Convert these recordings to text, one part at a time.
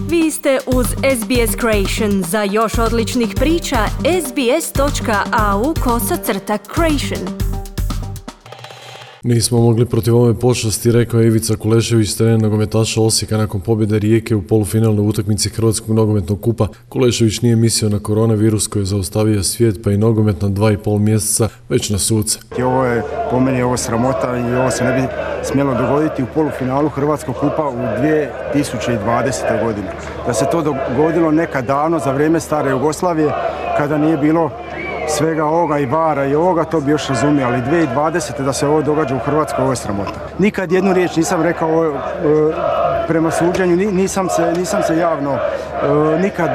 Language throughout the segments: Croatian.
Vi ste uz SBS Creation. Za još odličnih priča, sbs.au/creation. Nismo mogli protiv ove pošasti, rekao je Ivica Kulešević, trener nogometaša Osijeka nakon pobjede Rijeke u polufinalnoj utakmici Hrvatskog nogometnog kupa. Kulešević nije mislio na koronavirus koji je zaustavio svijet, pa i nogomet na 2,5 mjeseca, već na suce. Ovo je po meni sramota i ovo se ne bi smjelo dogoditi u polufinalu Hrvatskog kupa u 2020. godini. Da se to dogodilo nekad davno za vrijeme stare Jugoslavije, kada nije bilo svega ovoga i vara i ovoga, to bi još razumio, ali 2020. da se ovo događa u Hrvatskoj, ovo je sramota. Nikad jednu riječ nisam rekao prema suđenju, nisam se javno nikad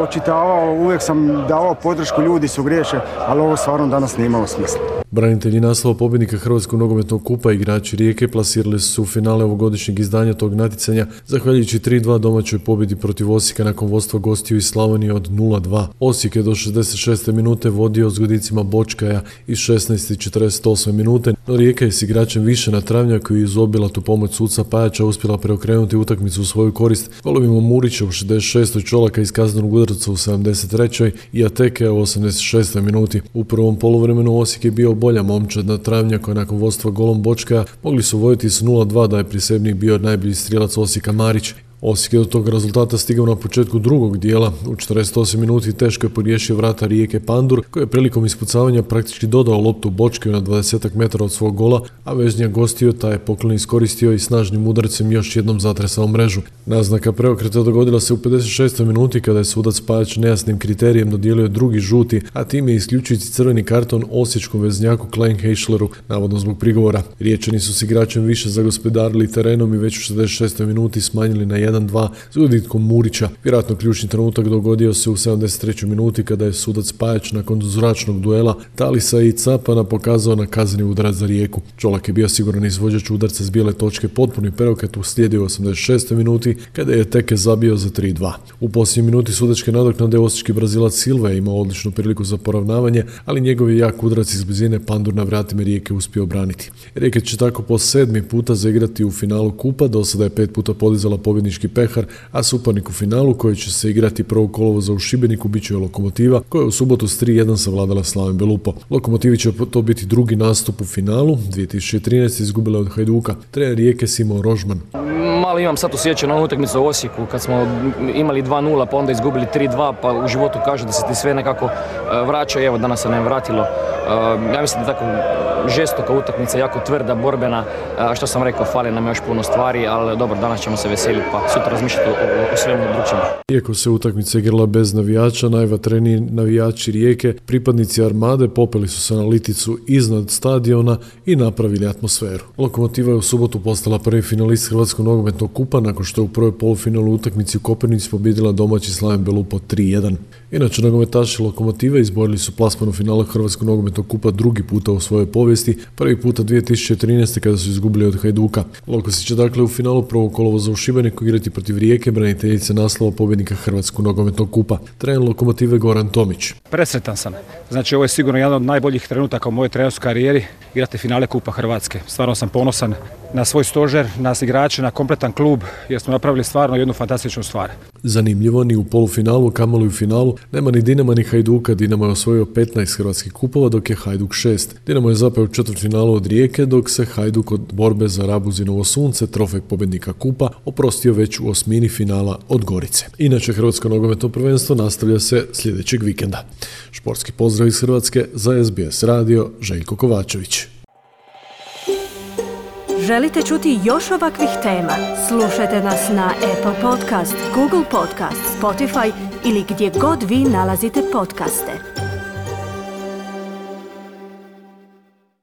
očitavao, uvijek sam davao podršku, ljudi su griješe, ali ovo stvarno danas nije imalo smisla. Branitelji naslova pobjednika Hrvatskog nogometnog kupa, igrači Rijeke, plasirali su u finale ovogodišnjeg izdanja tog natjecanja, zahvaljujući 3-2 domaćoj pobjedi protiv Osijeka nakon vodstva gostiju iz Slavonije od 0-2. Osijek je do 66. minute vodio s godicima Bočkaja iz 16. i 48. minute, no Rijeka je s igračem više na travnjaku i uz obilatu pomoć suca Pajača uspjela preokrenuti utakmicu u svoju korist golovima Murića u 66. Čolaka iz kaznenog udarca u 73. i Ateke u 86. minuti. U prvom poluvremenu Osijek je bio bolja momčad na travnjaku, nakon vodstva golom Bočkaja mogli su voditi s 0-2, da je prisebnik bio najbolji strijelac Osijeka Marić. Osijek je do tog rezultata stigao na početku drugog dijela. U 48 minuti teško je pogriješio vrata Rijeke Pandur, koji je prilikom ispucavanja praktički dodao loptu Bočkaju na 20 metara od svog gola, a veznjak gostio taj je poklon iskoristio i snažnim udarcem još jednom zatresao mrežu. Naznaka preokreta dogodila se u 56. minuti kada je sudac Pajač nejasnim kriterijem dodijelio drugi žuti, a tim je isključujući crveni karton osječkom veznjaku Klein Heischleru, navodno zbog prigovora. Riječani su s igračem više zagospodarili terenom i već u 66. minuti smanjili na 1-2 s gubitkom Murića. Vjerojatno ključni trenutak dogodio se u 73. minuti kada je sudac Pajač nakon zračnog duela Talisa i Capana pokazao na kazneni udarac za Rijeku. Čolak je bio siguran izvođač udarca s bijele točke, potpuni preokret uslijedio u 86. minuti kada je Teke zabio za 3-2. U posljednjoj minuti sudačke nadoknade osječki Brazilac Silva je imao odličnu priliku za poravnavanje, ali njegov je jak udarac iz blizine Pandur na vratima Rijeke uspio obraniti. Rijeka će tako po 7. puta zaigrati u finalu kupa, do sada je 5 puta podizala pobjednički pehar, a suparnik u finalu koji će se igrati 1. kolovoza u Šibeniku bit će Lokomotiva, koja je u subotu s 3-1 savladala Slaven Belupo. Lokomotivi će to biti drugi nastup u finalu, 2013. izgubila od Hajduka. Trener Rijeke Simon Rožman. Malo imam sad osjećaj na utakmicu u Osijeku kad smo imali 2-0 pa onda izgubili 3-2, pa u životu kaže da se ti sve nekako vraća i evo danas se ne vratilo. Ja mislim da tako žestoka utakmica, jako tvrda, borbena, što sam rekao, fali nam još puno stvari, ali dobro, danas ćemo se veseliti pa sutra razmišljati o svemu drugčemu. Iako se utakmica igrala bez navijača, najvatreniji navijači Rijeke, pripadnici Armade, popeli su se na liticu iznad stadiona i napravili atmosferu. Lokomotiva je u subotu postala prvi finalist Hrvatskog nogometnog kupa nakon što je u prvoj polufinalu utakmici u Koprivnici pobjedila domaći Slaven Belupo 3-1. Inače, nogometaši Lokomotive izborili su plasman u finalu Hrvatskog nogometnog kupa drugi puta u svojoj povijesti, prvi puta 2013. kada su izgubili od Hajduka. Lokosi će dakle u finalu 1. kolovoza u Šibeniku igrati protiv Rijeke, braniteljice naslova pobjednika Hrvatskog nogometnog kupa. Trener Lokomotive Goran Tomić. Presretan sam. Znači, ovo je sigurno jedan od najboljih trenutaka u mojoj trenerskoj karijeri, igrati finale Kupa Hrvatske. Stvarno sam ponosan na svoj stožer, na igrače, na kompletan klub, jer smo napravili stvarno jednu fantastičnu stvar. Zanimljivo, ni u polufinalu, kamoli u finalu, nema ni Dinama ni Hajduka. Dinamo je osvojio 15 hrvatskih kupova, dok je Hajduk 6. Dinamo je zapeo u četvrtfinalu od Rijeke, dok se Hajduk od borbe za Rabuzinovo sunce, trofej pobjednika kupa, oprostio već u osmini finala od Gorice. Inače, Hrvatsko nogometno prvenstvo nastavlja se sljedećeg vikenda. Športski pozdrav iz Hrvatske za SBS radio, Željko Kovačević. Želite čuti još ovakvih tema? Slušajte nas na Apple Podcast, Google Podcast, Spotify ili gdje god vi nalazite podcaste.